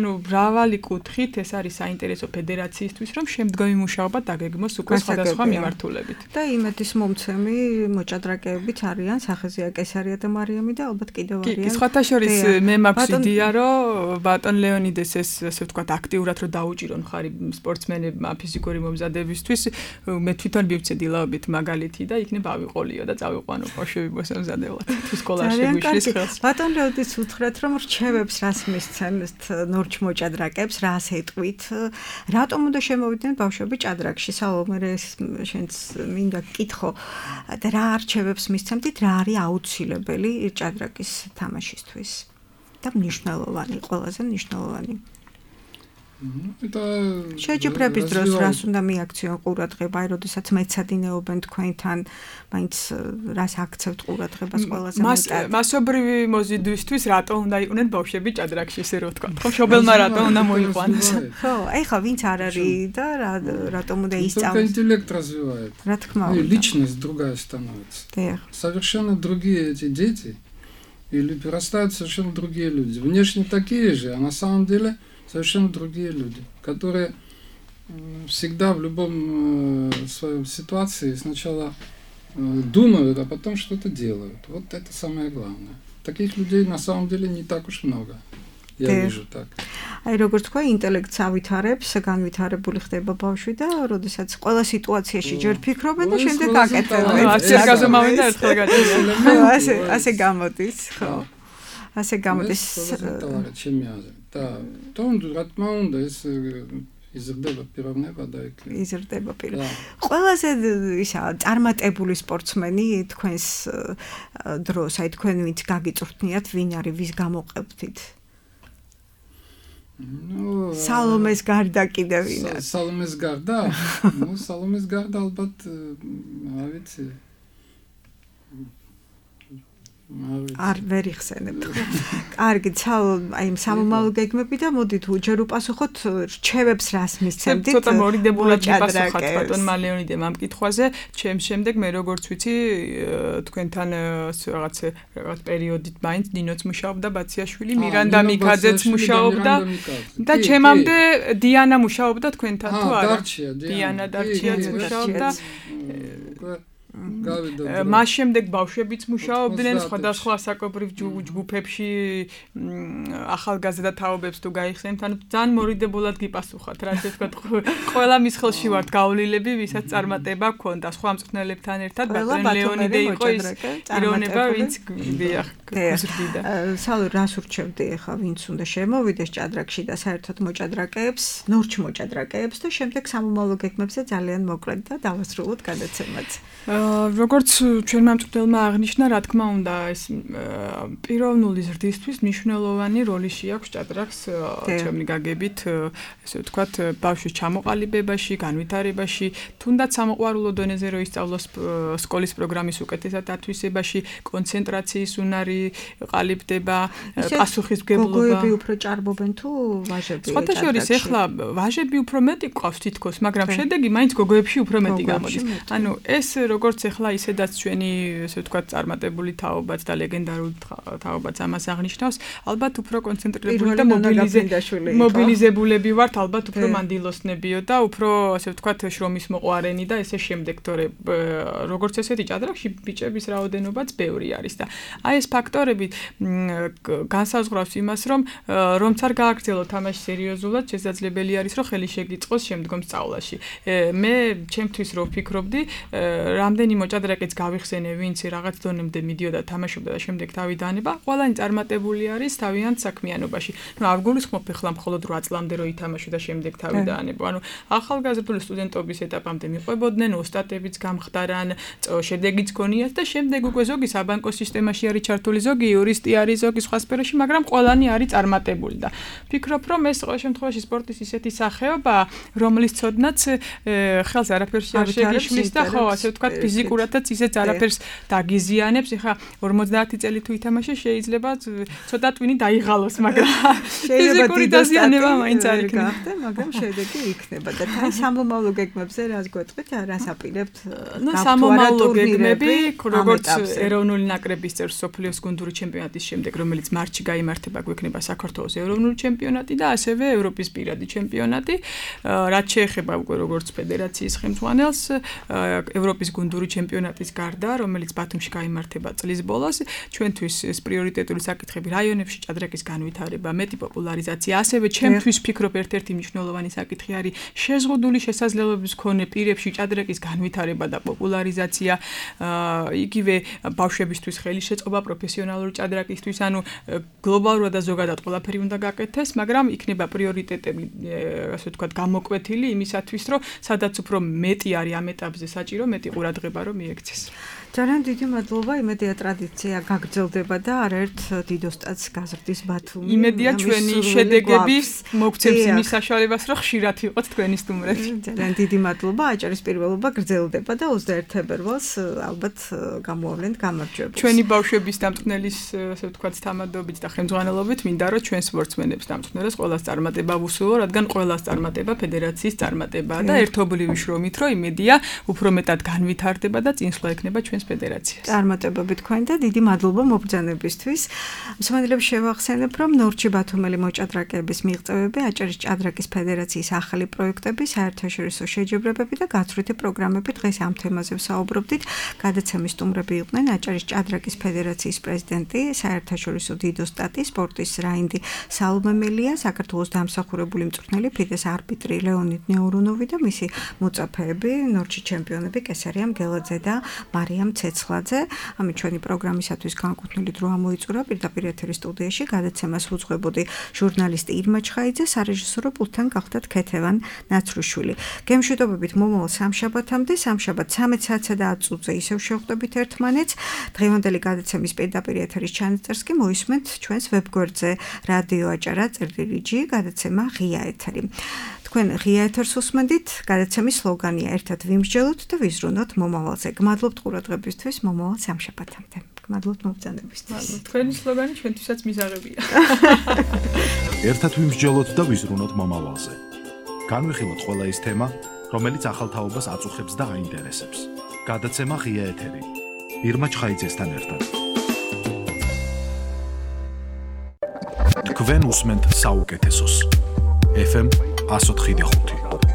მრავალი კუთხით ეს არის საინტერესო ფედერაციისთვის, რომ შემდგომი მუშაობა დაგეგმოს უკვე სხვადასხვა მიმართულებით. და იმედის მომცემი მოჭადრაკეებიც არიან, სახეზეა კესარია და მარიამი და ალბათ კიდევ არიან. კი, სხვათა შორის მე მაქვს იდეა, რომ ბატონ ლეონიდეს ეს ასე ვთქვათ აქტიურად რომ დაუჭირონ ხარი სპორტსმენებმა ფიზიკური მომზადებისთვის მე თვითონ მივცედი ლაობით მაგალითი და იქნებ ავიყოლიო და წავიყვანო ბავშვები მოსამზადებლად თუ სკოლაში გვიშლის ხელს ბატონ ლეონიდეს უთხრათ რომ რჩევებს რას მისცემთ ნორჩ მოჭადრაკებს რას ეტყვით რატომ უნდა შემოვიდნენ ბავშვები ჭადრაკში სალომე შენც მინდა გკითხო და რა რჩევებს მისცემთ რა არის აუცილებელი ჭადრაკის თამაშისთვის და მნიშვნელოვანი ყველაზე მნიშვნელოვანი შეჯიბრების დროს რას უნდა მიაქციონ ყურადღება აი როდესაც მეცადინეობენ თქვენთან მაინც რას აქცევთ ყურადღებას ყველაზე მეტად მასობრივი მოზიდვისთვის რატო უნდა იყვნენ ბავშვები ჭადრაკში ესე რო ვთქვა ხო მშობელმა რატო უნდა მოიყვანოს ხო ეხლა ვინც არ არის და რატომ უნდა ისწავლოს интеллект развивает რა თქმა უნდა личность другая становится совершенно другие эти дети или вырастают совершенно другие люди внешне такие же а на самом деле совершенно другие люди, которые всегда в любом своей ситуации сначала думают, а потом что-то делают. Вот это самое главное. Таких людей на самом деле не так уж много. Я вижу так. აი როგორც თქვა ინტელექტს ავითარებს, განვითარებული ხდება ბავშვი და როდესაც ყველა სიტუაციაში ჯერ ფიქრობენ და შემდეგ აკეთებენ. ასე გაზომავენ და ერთხელ გაჩნდება. ასე გამოდის, ხო. ასე გამოდის. და თუნ რა თქმა უნდა ეს იზრდება პიროვნება და იქ იზრდება პიროვნება. ყველაზე ისა წარმატებული სპორტსმენი თქვენს დროს, აი თქვენ ვინც გაგიწვრთნიათ, ვინ არის, ვის გამოყებდით? სალომეს გარდა კიდევ ვინ არის? სალომეს გარდა? სალომეს გარდა ალბათ რა ვიცი არ ვერ იხსენებთ ხო? კარგი, აი სამომავლო გეგმები და მოდით ჯერ უპასუხოთ რჩევებს რას მისცემდით? ცოტა მორიდებულად მიპასუხოთ ბატონმა ლეონიდემ ამ კითხვაზე. ჩემს შემდეგ მე როგორც ვიცი თქვენთან რაღაც პერიოდით მაინც დინოც მუშაობდა ბაციაშვილი, მირანდა მიკაძეც მუშაობდა და ჩემამდე დიანა მუშაობდა თქვენთან თუ არა? დიანა დარჩიაც მუშაობდა. მას შემდეგ ბავშვებიც მუშაობდნენ სხვადასხვა საკობრიվ ჯგუფებში ახალგაზრდა თაობებს თუ გაიხსენებთ ანუ ძალიან მორიდებულად გიპასუხათ რა ასე ვთქვათ ყველა მის ხელში ვართ გავლილები ვისაც წარმატება ჰქონდა სხვა მწვრთნელებთან ერთად ბატონ ლეონიდე იყო ის პიროვნება ვინც გზრდიდა სალო რას ურჩევდი ახლა ვინც უნდა შემოვიდეს ჭადრაკში და საერთოდ მოჭადრაკეებს ნორჩ მოჭადრაკეებს და შემდეგ სამომავლო გეგმებზე ძალიან მოკლედ და დავასრულოთ გადაცემაც როგორც ჩვენმა მწვრთნელმა აღნიშნა, რა თქმა უნდა, ეს პიროვნული ზრდისთვის მნიშვნელოვანი როლი შეაქვს ჭადრაკს ჩემი გაგებით, ესე ვთქვათ, ბავშვის ჩამოყალიბებაში, განვითარებაში, თუნდაც სამოყვარულო დონეზე რო ისწავლოს სკოლის პროგრამის უკეთესად ათვისებაში, კონცენტრაციის უნარი ყალიბდება, პასუხისმგებლობა. გოგოები უფრო ჭარბობენ თუ ვაჟები? სხვათა შორის ეხლა ვაჟები უფრო მეტი ყავს თითქოს, მაგრამ შედეგი მაინც გოგოებში უფრო მეტი გამოდის. ანუ ეს როგორც ეხლა ისედაც ჩვენი ესე ვთქვათ წარმატებული თაობაც და ლეგენდარული თაობაც ამას აღნიშნავს, ალბათ უფრო კონცენტრირებული და მობილიზებულები ვართ, ალბათ უფრო მანდილოსნებიო და უფრო ესე ვთქვათ შრომის მოყვარენი და ესე შემდეგ, თორე როგორც ესეთი ჭადრაკში ბიჭების რაოდენობაც ბევრი არის და აი ეს ფაქტორები განსაზღვრავს იმას, რომ რომც არ გააგრძელო თამაში სერიოზულად, შესაძლებელი არის, რომ ხელი შეგიწყოს შემდგომ სწავლაში. მე ჩემთვის რო ვფიქრობდი, რამდენი მოჭადრაკეც გავიხსენე, ვინც რაღაც დონემდე მიდიოდა თამაშობდა და შემდეგ თავი დაანება, ყველანი წარმატებული არის თავიანთ საქმიანობაში. ნუ არ გულისხმობ ახლა მხოლოდ 8 წლამდე რო ითამაშო და შემდეგ თავი დაანება. ანუ ახალგაზრდული სტუდენტობის ეტაპამდე მიყვებოდნენ, ოსტატებიც გამხდარან, შედეგიც გონიათ და შემდეგ უკვე ზოგი საბანკო სისტემაში არის ჩართული, ზოგი იურისტი არის, ზოგი სხვა სფეროში, მაგრამ ყველანი არის წარმატებული და ვფიქრობ, რომ ეს ყოველ შემთხვევაში სპორტის ისეთი სახეობაა, რომლის ცოდნაც ხელს არაფერში არ შეგიშლის და ხო, ასე ვთქვათ, ფიზიკურადაც ისეც არაფერს დაგიზიანებს. ეხლა 50 წელი თუ ითამაშე, შეიძლება ცოტა ტვინი დაიღალოს, მაგრამ ფიზიკური დაზიანება მაინც არ იქნება, მაგრამ შედეგი იქნება. და თან სამომავლო გეგმებზე რას გვეტყვით, რას აპირებთ? ნუ სამომავლო გეგმები, როგორც ეროვნული ნაკრების წევრ სოფლიოს გუნდური ჩემპიონატის შემდეგ, რომელიც მარტში გაიმართება, გვექნება საქართველოს ეროვნული ჩემპიონატი და ასევე ევროპის პირადი ჩემპიონატი. რაც შეეხება უკვე როგორც ფედერაციის ხელმძღვანელს, ევროპის გუნდური ჩემპიონატის გარდა, რომელიც ბათუმში გაიმართება წლის ბოლოს, ჩვენთვის ეს პრიორიტეტული საკითხები რაიონებში ჭადრაკის განვითარება, მეტი პოპულარიზაცია, ასევე ჩემთვის ვფიქრობ ერთ-ერთი მნიშვნელოვანი საკითხი არის შეზღუდული შესაძლებლობების მქონე პირებში ჭადრაკის განვითარება და პოპულარიზაცია, იგივე ბავშვებისთვის ხელისშეწყობა პროფესიონალური ჭადრაკისთვის, ანუ გლობალურად და ზოგადად ყველაფერი უნდა გაკეთდეს, მაგრამ იქნება პრიორიტეტები, ასე ვთქვათ, გამოკვეთილი იმისათვის, რომ სადაც უფრო მეტი არის ამ ეტაპზე საჭირო, მეტი ყურადღება რომ მიექცეს. ძალიან დიდი მადლობა, იმედია ტრადიცია გაგრძელდება და არაერთ დიდ ოსტატს გაზრდის ბათუმი. იმედია ჩვენი შედეგები მოგცემს იმის საშუალებას, რომ ხშირად იყოთ თქვენი სტუმრები. ძალიან დიდი მადლობა, აჭარის პირველობა გრძელდება და 21 თებერვალს ალბათ გამოავლენთ გამარჯვებულს. ჩვენი ბავშვების დამწყნელის, ასე ვთქვათ, თამადობით და ხელმძღვანელობით მინდა რომ ჩვენ სპორტსმენებს დამწყნელებს ყველას წარმატება ვუსურვო, რადგან ყველას წარმატება ფედერაციის წარმატებაა და ერთობლივი შრომით რომ იმედია უფრო მეტად განვითარდება და წინსვლა ექნება ჩვენს ფედერაციას. წარმატებები თქვენ და დიდი მადლობა მობრძანებისთვის. მსმენელებს შევახსენებ, რომ ნორჩი ბათუმელი მოჭადრაკეების მიღწევები, აჭარის ჭადრაკის ფედერაციის ახალი პროექტები, საერთაშორისო შეჯიბრებები და გაცვლითი პროგრამები დღეს ამ თემაზე ვსაუბრობდით. გადაცემის სტუმრები იყვნენ აჭარის ჭადრაკის ფედერაციის პრეზიდენტი, საერთაშორისო დიდ ოსტატი, სპორტის რაინდი სალომემელია, საქართველოს დამსახურებული მწვრთნელი, ფიდეს არბიტრი ლეონიდ ნეურუნოვი და მისი მოწაფეები, ნორჩი ჩემპიონები კესარიამ გელაძე და მარიამ ცეცხლაძე. ამით ჩვენი პროგრამისათვის განკუთვნილი დრო ამოიწურა პირდაპირ ეთერის სტუდიაში. გადაცემას უძღვებოდი ჟურნალისტი ირმა ჩხაიძე, სარეჟისორო პულტთან გახდათ ქეთევან ნაცრუშვილი. გემშვიდობებით მომავალ სამშაბათამდე, სამშაბათ 13 საათსა და 10 წუთზე ისევ შევხვდებით ერთმანეთს. დღევანდელი გადაცემის პირდაპირ ეთერის ჩანაწერს კი მოისმენთ ჩვენს ვებგვერდზე რადიო აჭარა წერტილი.g, გადაცემა ღია ეთერი. თქვენ ღია ეთერს უსმენდით, გადაცემის სლოგანია ერთად ვიმსჯელოთ და ვიზრუნოთ მომავალზე. გმადლობთ ყურადღებისთვის, მომავალ სამშაბათამდე. გმადლობთ მობრძანებისთვის. თქვენი სლოგანი ჩვენთვისაც მიზაღებია. ერთად ვიმსჯელოთ და ვიზრუნოთ მომავალზე. განვიხილოთ ყველა ის თემა, რომელიც ახალთაობას აწუხებს და აინტერესებს. გადაცემა ღია ეთერი. ირმა ჩხაიძესთან ერთად. თქვენ უსმენთ საუკეთესოს. FM 104.5